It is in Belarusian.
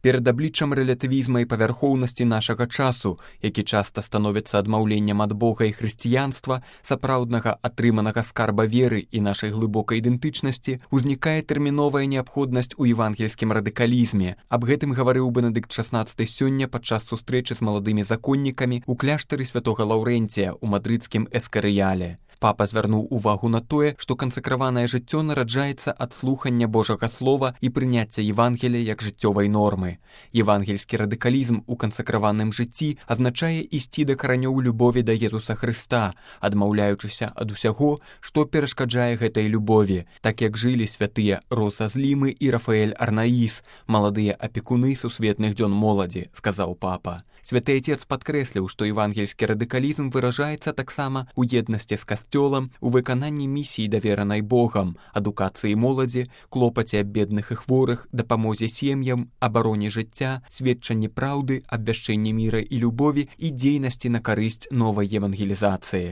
Перад абліччам рэлятывізма і павярхоўнасці нашага часу, які часта становіцца адмаўленнем ад Бога і хрысціянства, сапраўднага атрыманага скарба веры і нашай глыбокай ідэнтычнасці, узнікае тэрміновая неабходнасць у евангельскім радыкалізме. Аб гэтым гаварыў Бенедыкт XVI сёння падчас сустрэчы з маладымі законнікамі ў кляштары святога Лаўрэнція ў мадрыдскім Эскарыяле. Папа звярнуў увагу на тое, што кансакраванае жыццё нараджаецца ад слухання Божага слова і прыняцця Евангелія як жыццёвай нормы. Евангельскі радыкалізм у кансакраваным жыцці азначае ісці да каранёў любові да Езуса Хрыста, адмаўляючыся ад усяго, што перашкаджае гэтай любові, так як жылі святыя Роса з Лімы і Рафаэль Арнаіс, маладыя апекуны сусветных дзён моладзі, сказаў папа. Святы Отец падкрэсліў, што евангельскі радыкалізм выражаецца таксама ў еднасці з касцёлам, у выкананні місіі, даверанай Богам, адукацыі моладзі, клопаце аб бедных і хворых, дапамозе сем'ям, абароне жыцця, сведчанні праўды, абвяшчэнні міра і любові і дзейнасці на карысць новай евангелізацыі.